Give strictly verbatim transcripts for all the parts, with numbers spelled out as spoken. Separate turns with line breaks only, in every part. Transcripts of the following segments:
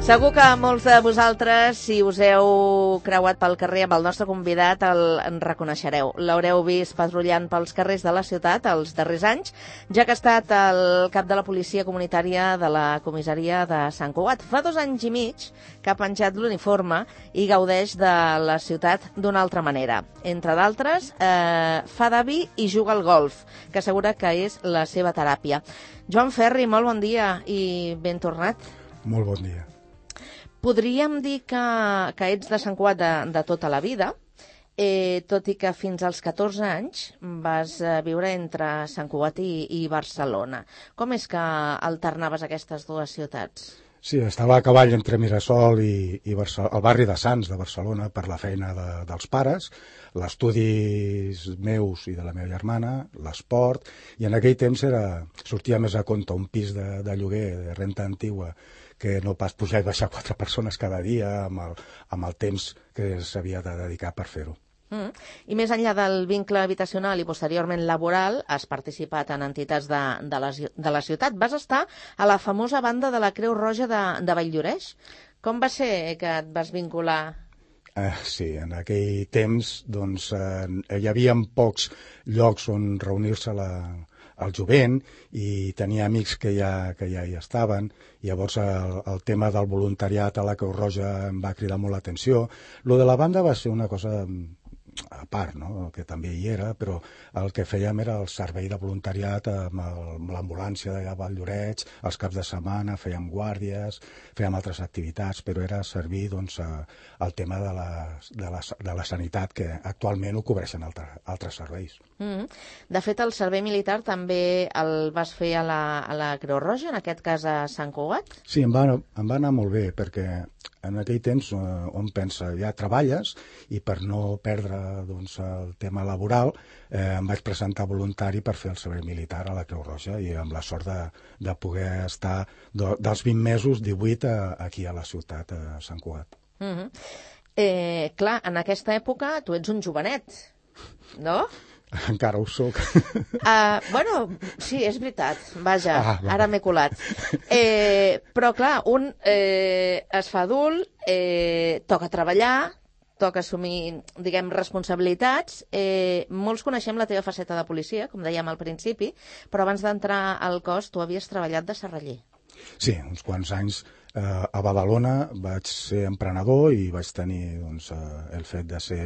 Segur que molts de vosaltres, si us heu creuat pel carrer amb el nostre convidat, el en reconeixereu. L'haureu vist patrullant pels carrers de la ciutat els darrers anys, ja que ha estat el cap de la policia comunitària de la comissaria de Sant Cugat. Fa dos anys i mig que ha penjat l'uniforme i gaudeix de la ciutat d'una altra manera. Entre d'altres, eh, fa d'avi i juga al golf, que assegura que és la seva teràpia. Joan Ferri, molt bon dia i ben tornat.
Molt bon dia.
Podríem dir que, que ets de Sant Cugat de, de tota la vida, eh, tot i que fins als catorze anys vas eh, viure entre Sant Cugat i, i Barcelona. Com és que alternaves aquestes dues ciutats?
Sí, estava a cavall entre Mirasol i, i Barcel- el barri de Sants de Barcelona per la feina de, dels pares, els estudis meus i de la meva germana, l'esport, i en aquell temps era, sortia més a compte un pis de, de lloguer, de renta antigua, que no pas pujar i baixar quatre persones cada dia amb el, amb el temps que s'havia de dedicar per fer-ho.
Mm. I més enllà del vincle habitacional i posteriorment laboral, has participat en entitats de, de, la, de la ciutat. Vas estar a la famosa banda de la Creu Roja de, de Valldoreix. Com va ser que et vas vincular?
Eh, sí, en aquell temps doncs, eh, hi havia pocs llocs on reunir-se la, el jovent i tenia amics que ja, que ja hi estaven. Llavors el, el tema del voluntariat a la Creu Roja em va cridar molt l'atenció. Lo de la banda va ser una cosa a part, no? Que també hi era, però el que fèiem era el servei de voluntariat amb, el, amb l'ambulància d'allà a Valldoreix, els caps de setmana, fèiem guàrdies, fèiem altres activitats, però era servir doncs, a, al tema de la, de, la, de la sanitat, que actualment ho cobreixen altre, altres serveis.
Mm-hmm. De fet, el servei militar també el vas fer a la, a la Creu Roja, en aquest cas a Sant Cugat?
Sí, em va, em va anar molt bé, perquè en aquell temps eh, on pensa, ja treballes, i per no perdre doncs, el tema laboral eh, em vaig presentar voluntari per fer el servei militar a la Creu Roja i amb la sort de, de poder estar de, dels vint mesos, divuit a, aquí a la ciutat, a Sant Cugat.
Mm-hmm. eh, clar, en aquesta època tu ets un jovenet, no?
Encara ho soc.
Uh, bueno, sí, és veritat, vaja,
ah,
ara m'he colat. Eh, però clar, un eh, es fa adult, eh, toca treballar, toca assumir, diguem, responsabilitats. Eh, molts coneixem la teva faceta de policia, com dèiem al principi, però abans d'entrar al cos tu havies treballat de serraller.
Sí, uns quants anys eh, a Badalona vaig ser emprenedor i vaig tenir doncs, eh, el fet de ser...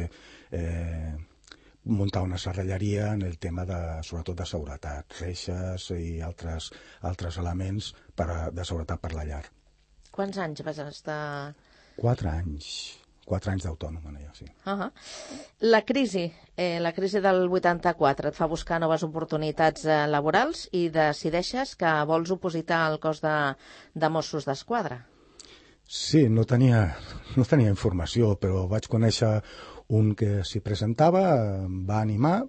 Eh, muntar una serralleria en el tema de, sobretot de seguretat, reixes i altres, altres elements per a, de seguretat per la llar.
Quants anys vas estar?
Quatre anys. Quatre anys d'autònom, ja, sí.
Uh-huh. La crisi, eh, la crisi del vuitanta-quatre et fa buscar noves oportunitats eh, laborals i decideixes que vols opositar al cos de, de Mossos d'Esquadra.
Sí, no tenia, no tenia informació, però vaig conèixer un que s'hi presentava, em va animar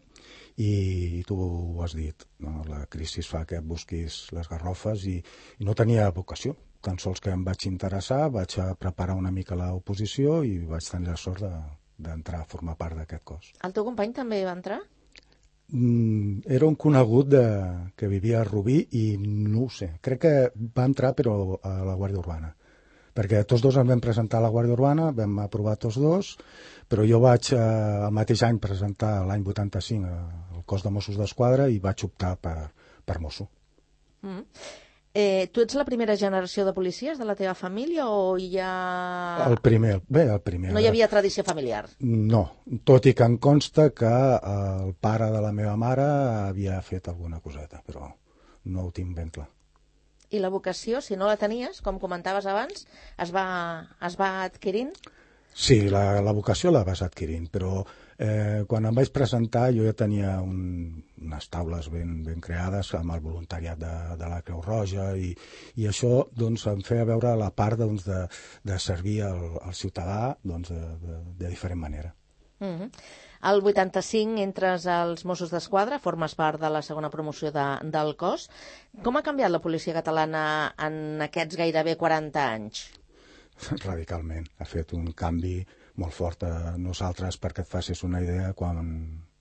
i tu ho has dit, no? La crisi fa que busquis les garrofes i, i no tenia vocació. Tan sols que em vaig interessar, vaig a preparar una mica l'oposició i vaig tenir la sort de, d'entrar a formar part d'aquest cos.
El teu company també va entrar?
Mm, era un conegut de, que vivia a Rubí i no ho sé, crec que va entrar però a la Guàrdia Urbana. Perquè tots dos ens vam presentar a la Guàrdia Urbana, vam aprovar tots dos, però jo vaig eh, el mateix any presentar l'any vuitanta-cinc al cos de Mossos d'Esquadra i vaig optar per, per mosso.
Mm. Eh, tu ets la primera generació de policies de la teva família o hi ha...
El primer, bé, el primer.
No hi havia tradició familiar?
No, tot i que em consta que el pare de la meva mare havia fet alguna coseta, però no ho tinc ben clar.
I la vocació, si no la tenies, com comentaves abans, es va, es va adquirint?
Sí, la, la vocació la vas adquirint, però eh, quan em vaig presentar jo ja tenia un, unes taules ben, ben creades amb el voluntariat de, de la Creu Roja i, i això doncs, em feia veure la part doncs, de, de servir al, al ciutadà doncs, de, de, de diferent manera.
Mm-hmm. El vuitanta-cinc entres als Mossos d'Esquadra, formes part de la segona promoció de, del cos. Com ha canviat la policia catalana en aquests gairebé quaranta anys?
Radicalment. Ha fet un canvi molt fort a nosaltres. Perquè et facis una idea, quan,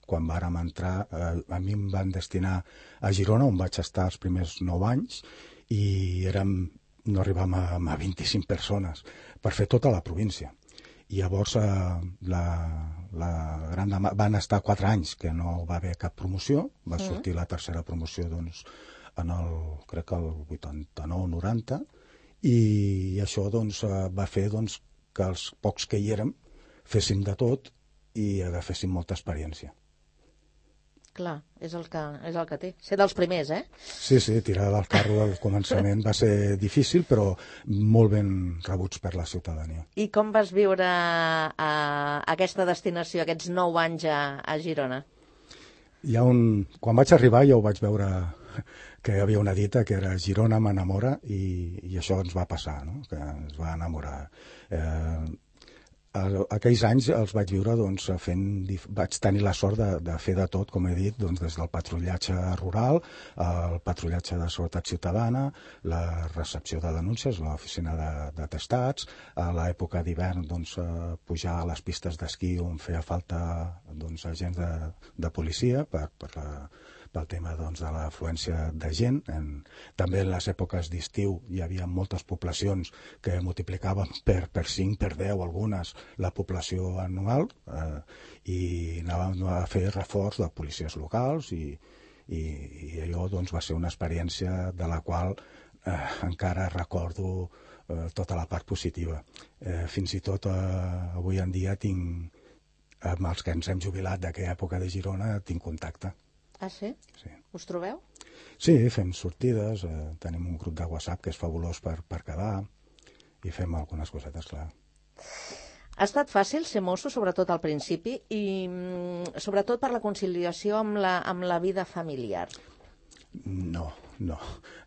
quan vàrem entrar, eh, a mi em van destinar a Girona, on vaig estar els primers nou anys, i érem no arribàvem a, a vint-i-cinc persones per fer tota la província. I llavors eh, la, la gran dama, van estar quatre anys que no va haver cap promoció, va sortir la tercera promoció doncs, en el, crec que el vuitanta-nou noranta, i això doncs, va fer doncs, que els pocs que hi érem féssim de tot i agaféssim molta experiència.
Clar, és el que, és el que té. Ser dels primers, eh?
Sí, sí, tirar del carro al començament va ser difícil, però molt ben rebuts per la ciutadania.
I com vas viure a aquesta destinació, aquests nou anys a, a Girona?
Hi ha un... Quan vaig arribar ja ho vaig veure que hi havia una dita que era Girona m'enamora, i, i això ens va passar, no? Que ens va enamorar. Eh, aquells anys els vaig viure doncs, fent, vaig tenir la sort de, de fer de tot, com he dit, doncs, des del patrullatge rural, el patrullatge de seguretat ciutadana, la recepció de denúncies, l'oficina d'atestats, a l'època d'hivern doncs, pujar a les pistes d'esquí on feia falta doncs, agents de, de policia per, per la pel tema doncs, de l'afluència de gent. En, també en les èpoques d'estiu hi havia moltes poblacions que multiplicaven per, per cinc, per deu, algunes, la població anual, eh, i anàvem a fer reforç de policies locals, i, i, i allò doncs, va ser una experiència de la qual eh, encara recordo eh, tota la part positiva. Eh, fins i tot eh, avui en dia tinc, amb els que ens hem jubilat d'aquella època de Girona, tinc contacte.
Ah, sí?
Sí.
Us trobeu?
Sí, fem sortides, eh, tenim un grup de WhatsApp que és fabulós per, per quedar, i fem algunes cosetes, clar.
Ha estat fàcil ser mosso, sobretot al principi, i mm, sobretot per la conciliació amb la, amb la vida familiar?
No, no.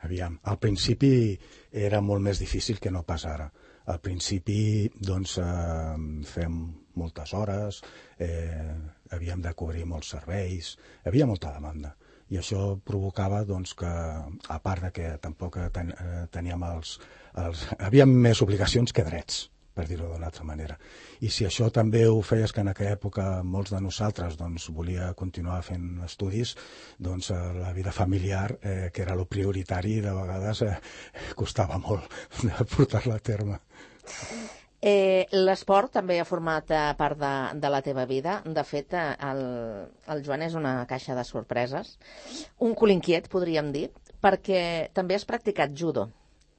Aviam, al principi era molt més difícil que no pas ara. Al principi, doncs, eh, fem moltes hores, eh, havíem de cobrir molts serveis, hi havia molta demanda. I això provocava doncs, que, a part de que tampoc ten, eh, teníem els, els... Havíem més obligacions que drets, per dir-ho d'una altra manera. I si això també ho feies que en aquella època molts de nosaltres doncs, volia continuar fent estudis, doncs eh, la vida familiar, eh, que era lo prioritari, de vegades eh, costava molt de portar-la a terme.
Eh, L'esport també ha format eh, part de, de la teva vida. De fet, eh, el, el Joan és una caixa de sorpreses. Un cul inquiet, podríem dir, perquè també has practicat judo,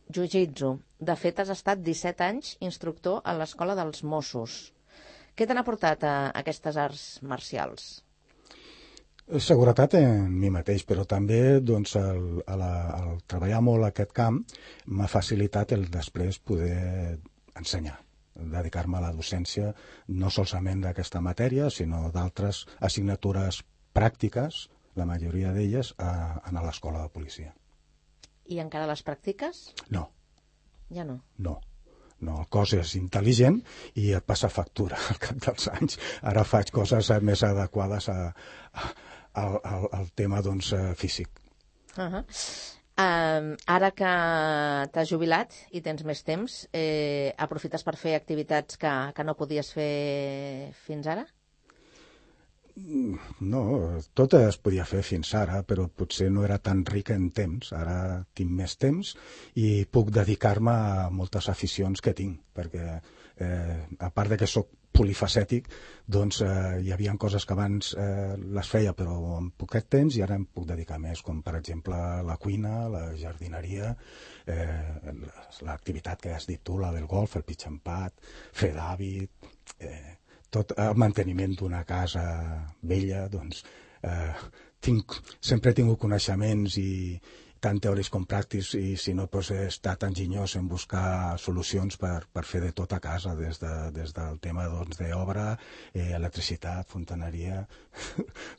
jiu-jitsu. De fet, has estat disset anys instructor a l'Escola dels Mossos. Què te n'ha portat a, a aquestes arts marcials?
Seguretat en mi mateix, però també doncs, el, el, el treballar molt aquest camp m'ha facilitat el després poder ensenyar, dedicar-me a la docència no solament d'aquesta matèria, sinó d'altres assignatures pràctiques, la majoria d'elles, a, a l'escola de policia.
I encara les practiques?
No.
Ja no?
No. No, el cos és intel·ligent i et passa factura al cap dels anys. Ara faig coses més adequades a, a, al, al, al tema doncs, físic.
Uh-huh. Um, ara que t'has jubilat i tens més temps, eh, aprofites per fer activitats que, que no podies fer fins ara?
No, tot es podia fer fins ara, però potser no era tan rica en temps. Ara tinc més temps i puc dedicar-me a moltes aficions que tinc, perquè eh, a part de que sóc polifacètic, doncs eh, hi havia coses que abans eh, les feia però en poquet temps i ara em puc dedicar més, com per exemple la cuina, la jardineria, eh, l'activitat que has dit tu, la del golf, el pitch empat, fer d'hàbit, eh, tot el manteniment d'una casa vella, doncs eh, tinc, sempre he tingut coneixements i tant teòrics com pràctics, i si no doncs, he estat enginyós en buscar solucions per, per fer de tot a casa, des, de, des del tema doncs, d'obra, eh, electricitat, fontaneria,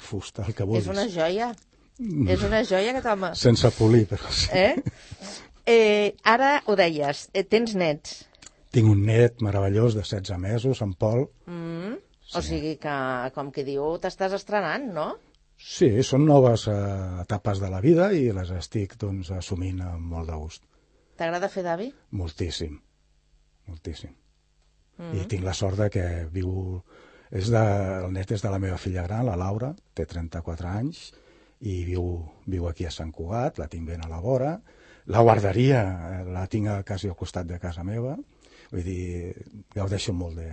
fusta, el que vulguis.
És una joia, mm. és una joia aquest home.
Sense polir, però sí.
Eh? Eh, ara ho deies, eh, tens nets.
Tinc un net meravellós de setze mesos, en Pol.
Mm. Sí. O sigui que, com que diu, t'estàs estrenant, no?
Sí, són noves eh, etapes de la vida i les estic doncs, assumint amb molt de gust.
T'agrada fer d'avi?
Moltíssim, moltíssim.
Mm.
I tinc la sort de que viu... És de... El net és de la meva filla gran, la Laura, té trenta-quatre anys, i viu, viu aquí a Sant Cugat, la tinc ben a la vora. La guarderia la tinc quasi al costat de casa meva, vull dir, gaudeixo molt de,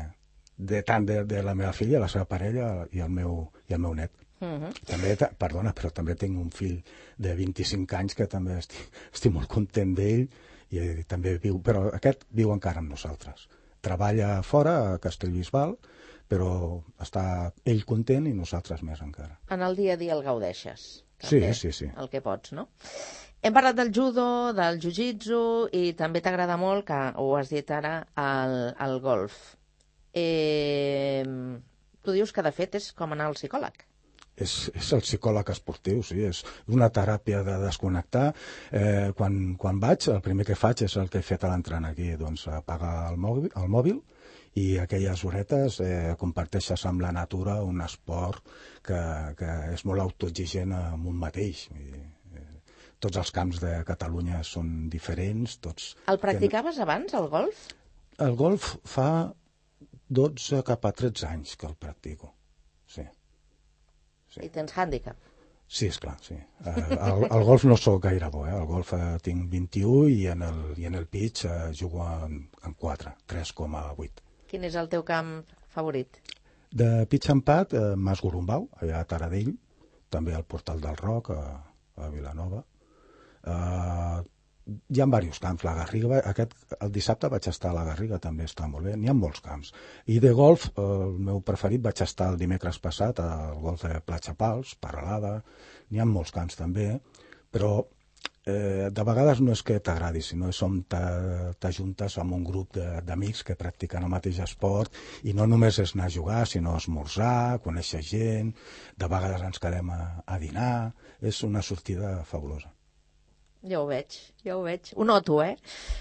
de tant de, de la meva filla, la seva parella i el meu, i el meu net. Uh-huh. També, perdona, però també tinc un fill de vint-i-cinc anys que també estic, estic molt content d'ell i també viu, però aquest viu encara amb nosaltres. Treballa fora, a Castellbisbal, però està ell content i nosaltres més encara.
En el dia a dia el gaudeixes?
També, sí, sí, sí.
El que pots, no? Hem parlat del judo, del jiu-jitsu i també t'agrada molt, que ho has dit ara, el, el golf. Eh, tu dius que de fet és com anar al psicòleg.
És, és el psicòleg esportiu, sí, és una teràpia de desconnectar. Eh, quan, quan vaig, el primer que faig és el que he fet a l'entrant aquí, doncs apagar el mòbil, el mòbil i aquelles horetes eh, comparteixes amb la natura un esport que, que és molt autoexigent amb un mateix. I, eh, tots els camps de Catalunya són diferents. Tots
el practicaves tenen... abans, el golf?
El golf fa dotze cap a tretze anys que el practico, sí. Sí.
I tens hàndicap?
Sí, esclar, sí. El, el golf no sóc gaire bo, eh? El golf eh, tinc vint-i-u i en el, i en el pitch eh, jugo en, en quatre, tres coma vuit.
Quin és el teu camp favorit?
De pitch and pad, eh, Mas Gorumbau, allà a Taradell, també al Portal del Roc, a, a Vilanova. Eh, hi ha diversos camps. La Garriga, aquest, el dissabte vaig estar a la Garriga, també està molt bé. N'hi ha molts camps. I de golf, el meu preferit, vaig estar el dimecres passat al golf de Platja Pals, Paralada. N'hi ha molts camps també, però eh, de vegades no és que t'agradi, sinó som t'ajuntes amb un grup d'amics que practiquen el mateix esport i no només és anar a jugar, sinó a esmorzar, conèixer gent, de vegades ens quedem a, a dinar. És una sortida fabulosa.
Ja ho veig, ja ho veig. Ho noto, eh?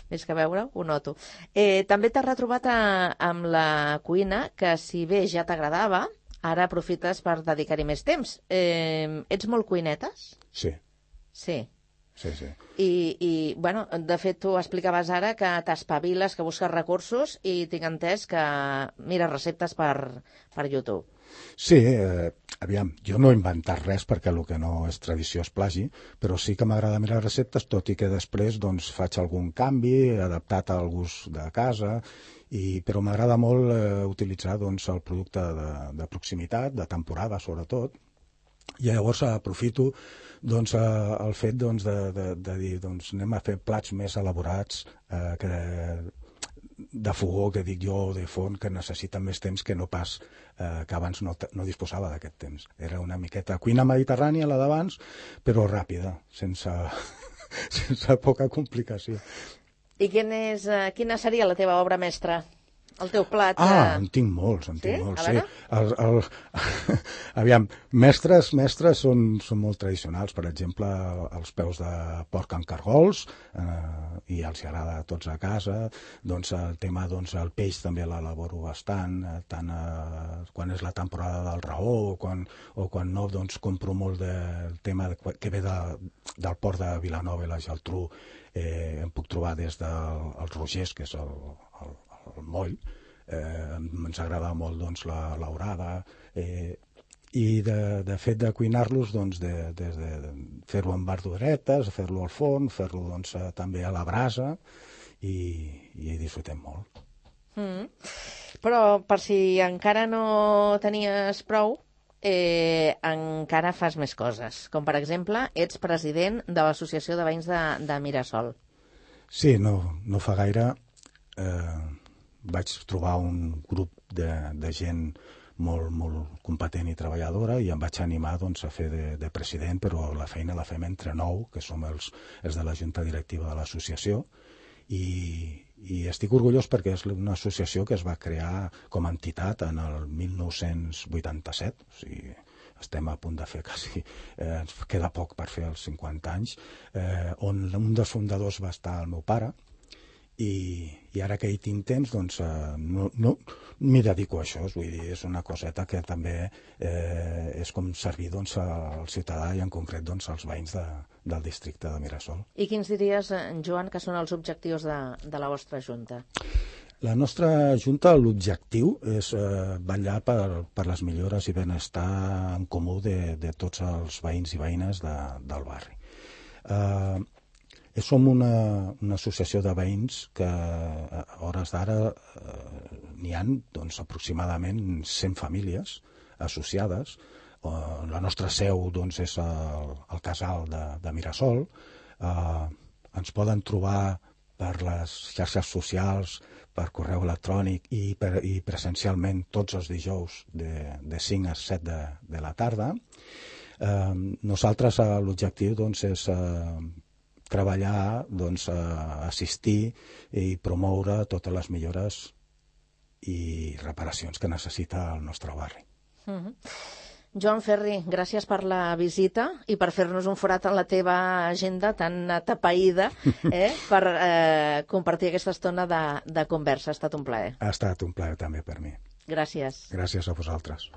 Més que veure, ho noto. Eh, també t'has retrobat a, amb la cuina, que si bé ja t'agradava, ara aprofites per dedicar-hi més temps. Eh, ets molt cuinetes?
Sí.
Sí.
Sí, sí.
I, i, bueno, de fet, tu explicaves ara que t'espaviles, que busques recursos i tinc entès que mires receptes per, per YouTube.
Sí, eh, aviam, jo no he inventat res perquè el que no és tradició és plagi, però sí que m'agrada mirar receptes, tot i que després doncs, faig algun canvi adaptat al gust de casa, i, però m'agrada molt eh, utilitzar doncs, el producte de, de proximitat, de temporada sobretot, i llavors aprofito doncs, eh, el fet doncs, de, de, de dir doncs, anem a fer plats més elaborats eh, que de fogó, que dic jo, de forn, que necessiten més temps que no pas eh, que abans no, no disposava d'aquest temps. Era una miqueta cuina mediterrània, la d'abans, però ràpida, sense, sense poca complicació.
I quin és, uh, quina seria la teva obra mestra? El teu plat?
Ah, en tinc molts, en tinc
sí?
molts, sí. El, el... Aviam, mestres, mestres són, són molt tradicionals. Per exemple, els peus de porc amb cargols, eh, i els agrada a tots a casa. Doncs el tema, doncs, el peix també l'elaboro bastant, eh, tant eh, quan és la temporada del raó o quan, o quan no, doncs compro molt del tema de, que ve de, del port de Vilanova i la Geltrú. Eh, em puc trobar des dels de, Rogers, que és el, el el moll, eh, ens agrada molt doncs, la l'aurada, eh, i de, de fet de cuinar-los doncs, de, de, de fer-lo amb verduretes, fer-lo al forn, fer-lo doncs, també a la brasa, i, i disfrutem molt.
Mm. Però per si encara no tenies prou, eh, encara fas més coses, com per exemple ets president de l'Associació de Veïns de, de Mirasol.
Sí, no, no fa gaire eh, vaig trobar un grup de, de gent molt, molt competent i treballadora i em vaig animar doncs, a fer de, de president, però la feina la fem entre nou, que som els, els de la junta directiva de l'associació, i, i estic orgullós perquè és una associació que es va crear com a entitat en el mil nou-cents vuitanta-set, o sigui, estem a punt de fer quasi, eh, ens queda poc per fer els cinquanta anys, eh, on un dels fundadors va estar el meu pare, I, i ara que hi tinc temps, doncs eh, no, no m'hi dedico a això, vull dir, és una coseta que també eh, és com servir doncs, al ciutadà i en concret doncs, als veïns de, del districte de Mirasol.
I quins diries, Joan, que són els objectius de, de la vostra Junta?
La nostra Junta, l'objectiu és eh, vetllar per, per les millores i benestar en comú de, de tots els veïns i veïnes de, del barri. Eh, Som una, una associació de veïns que a hores d'ara eh, n'hi ha doncs, aproximadament cent famílies associades. Uh, la nostra seu doncs, és el, el casal de, de Mirasol. Uh, ens poden trobar per les xarxes socials, per correu electrònic i, per, i presencialment tots els dijous de, de cinc a set de, de la tarda. Uh, nosaltres uh, l'objectiu doncs, és uh, treballar, doncs, uh, assistir i promoure totes les millores i reparacions que necessita el nostre barri.
Mm-hmm. Joan Ferri, gràcies per la visita i per fer-nos un forat en la teva agenda tan atapeïda, eh, per eh, compartir aquesta estona de, de conversa. Ha estat un plaer.
Ha estat un plaer també per mi.
Gràcies.
Gràcies a vosaltres.